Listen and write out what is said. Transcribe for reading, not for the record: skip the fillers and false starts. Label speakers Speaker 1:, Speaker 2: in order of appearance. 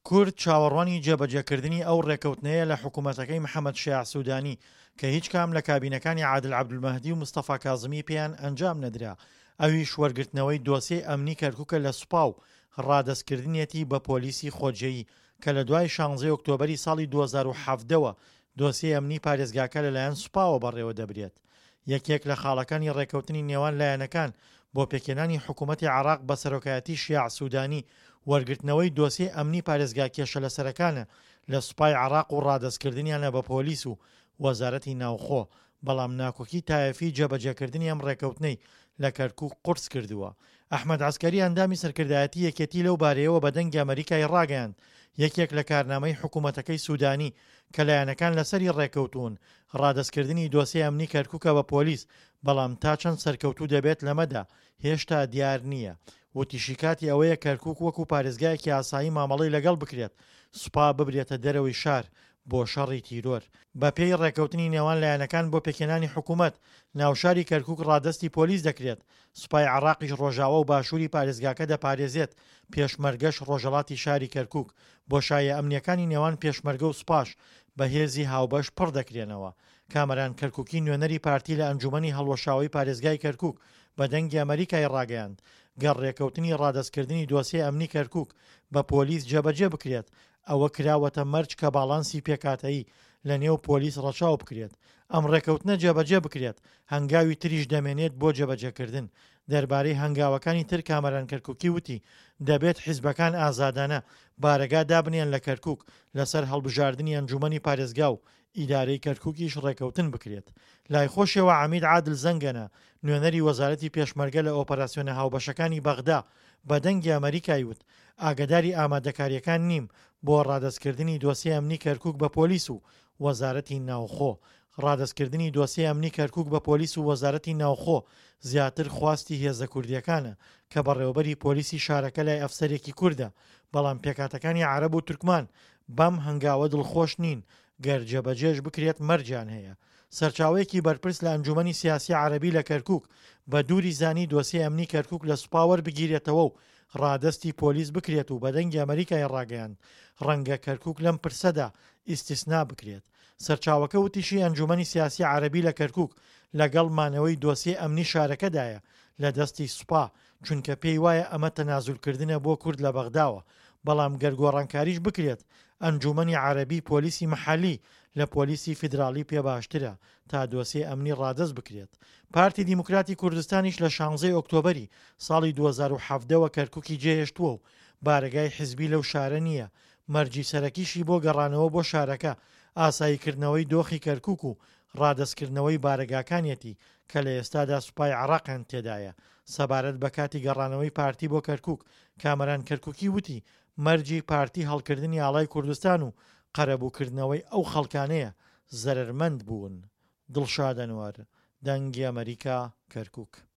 Speaker 1: کورد چاوەڕوانی جێبەجێکردنی ئەو ڕێکەوتنەیە لە حکوومەتەکەی محەمەد شیاع سوودانی کە هیچ کام لە کابینەکانی عادل عەبدولمەهدی و مستەفا کازمی پێیان ئەنجام نەدرا، ئەویش وەرگرتنەوەی دۆسیەی ئەمنی کەرکووکە لە سوپا و ڕادەستکردنیەتی بە پۆلیسی خۆجێی کە لە دوای شانزەی ئۆکتۆبەری ساڵی 2017 وە دۆسیەی ئەمنی پارێزگاکە لەلایەن سوپاوە بەڕێوەدەبرێت. یەکێک لە خاڵەکانی ڕێککەوتنی نێوان لایەنەکان بۆ پێکهێنانی حکوومەتی عێراق بە سەرۆکایەتی شیاع سوودانی، وەرگرتنەوەی دۆسیەی ئەمنی پارێزگا کێشەلەسەرەکانە لە سوپای عێراق و ڕادەستکردنیانە بە پۆلیس و وەزارەتی ناوخۆ، بەڵام ناکۆکی تایەفی جێبەجێکردنی ئەم ڕێککەوتنەی لە کەرکووک قورس کردووە. ئەحمەد عەسکەری ئەندامی سەرکردایەتی یەکێتی لەو بارەیەوە بە دەنگی ئەمەریکای ڕاگەیاند، یەکێک لە کارنامەی حکوومەتەکەی سوودانی کە لایەنەکان لەسەری ڕێککەوتوون، ڕادەستکردنی دۆسیەی ئەمنی کەرکوکە بە پۆلیس، بەڵام تا چەند سەرکەوتوو دەبێت لەمەدا هێشتا دیار نییە. وتیشی کاتی ئەوەیە کەرکوک وەکو پارێزگایەکی ئاسایی مامەڵەی لەگەڵ بکرێت، سوپا ببرێتە دەرەوەی شار بۆ شەڕی تیرۆر. بەپێی ڕێککەوتنی نێوان لایەنەکان بۆ پێکهێنانی حکومەت، ناوشاری کەرکوک ڕادەستی پۆلیس دەکرێت، سوپای عێراقیش ڕۆژاوا و باشووری پارێزگاکە دەپارێزێت، پێشمەرگەش ڕۆژهەڵاتی شاری کەرکوک، بۆشاییە ئەمنییەکانی نێوان پێشمەرگە و سوپاش بە هێزی هاوبەش پڕ دەکرێنەوە. کامەران کەرکوکی نوێنەری پارتی لە ئەنجوومەنی هەڵوەشاوەی پارێزگای کەرکوک بە دەنگی ئەمەریکای ڕاگەیاند، گەر ڕێکەوتنی ڕادەستکردنی دۆسیەی ئەمنی کەرکوک بە پۆلیس جێبەجێ بکرێت، ئەوە کراوەتە مەرج کە باڵانسی پێکهاتەیی لە نێو پۆلیس ڕەچاو بکرێت. ئەم ڕێکەوتنە جێبەجێ بکرێت، هەنگاوی تریش دەمێنێت بۆ جێبەجێکردن. دەربارەی هەنگاوەکانی تر کامەران کەرکوکی وتی، دەبێت حیزبەکان ئازادانە بارەگا دابنێن لە کەرکوک، لەسەر هەڵبژاردنی ئەنجومەنی پارێزگا و ئیدارەی کەرکوکیش ڕێکەوتن بکرێت. لای خۆشیەوە عەمید عادل زەنگەنە، نوێنەری وەزارەتی پێشمەرگە لە ئۆپەراسیۆنە هاوبەشەکانی بەغدا بە دەنگی ئەمەریکای وت، ئاگەداری ئامادەکارییەکان نیم بۆ ڕادەستکردنی دۆسیەی ئەمنی کەرکوک بە پۆلیس و وەزارەتی ناوخۆ. ڕادەستکردنی دۆسیەی ئەمنی کەرکوک بە پۆلیس و وەزارەتی ناوخۆ زیاتر خواستی هێزە کوردییەکانە کە بەڕێوەبەری پۆلیسی شارەکە لای ئەفسەرێکی کوردە، بەڵام پێکهاتەکانی عەرەب و تورکمان بەم هەنگاوە دڵخۆش نین، گەر جێبەجێش بکرێت مەرجیان هەیە. سەرچاوەیەکی بەرپرس لە ئەنجومەنی سیاسی عەرەبی لە کەرکوک بە دووری زانی دۆسیەی ئەمنی کەرکوک لە سوپا وەربگیرێتەوە و ڕادەستی پۆلیس بکرێت و بە دەنگی ئەمەریکای ڕاگەیاند ڕەنگە کەرکوک لەم پرسەدا ئیستیسنا بکرێت. سەرچاوەکە وتیشی ئەنجومەنی سیاسی عەرەبی لە کەرکوک لەگەڵ مانەوەی دۆسیەی ئەمنی شارەکەدایە لە دەستی سوپا چونکە پێی وایە ئەمە تەنازولکردنە بۆ کورد لە بەغداوە، بەڵام گەر گۆڕانکاریش بکرێت ئەنجومەنی عەرەبی پۆلیسی مەحەلی لە پۆلیسی فیدراڵی پێ باشترە تا دۆسیەی ئەمنی ڕادەست بکرێت. پارتی دیموکراتی کوردستانیش لە شانزەی ئۆکتۆبەری ساڵی 2017 وە کەرکوکی جێهێشتووە و بارەگای حزبی لەو شارە نییە، مەرجی سەرەکیشی بۆ گەڕانەوە بۆ شارەکە ئاساییکردنەوەی دۆخی کەرکوک و ڕادەستکردنەوەی بارەگاکانیەتی کە لە ئێستادا سوپای عێراقیان تێدایە. سەبارەت بە کاتی گەڕانەوەی پارتی بۆ کەرکوک، کامەران کەرکوکی وتی، مەرجی پارتی هەڵکردنی ئاڵای کوردستان و قەرەبووکردنەوەی ئەو خەڵکانەیە زەرەرمەند بوون. دڵشاد ئەنوەر، دەنگی ئەمەریکا، کەرکوک.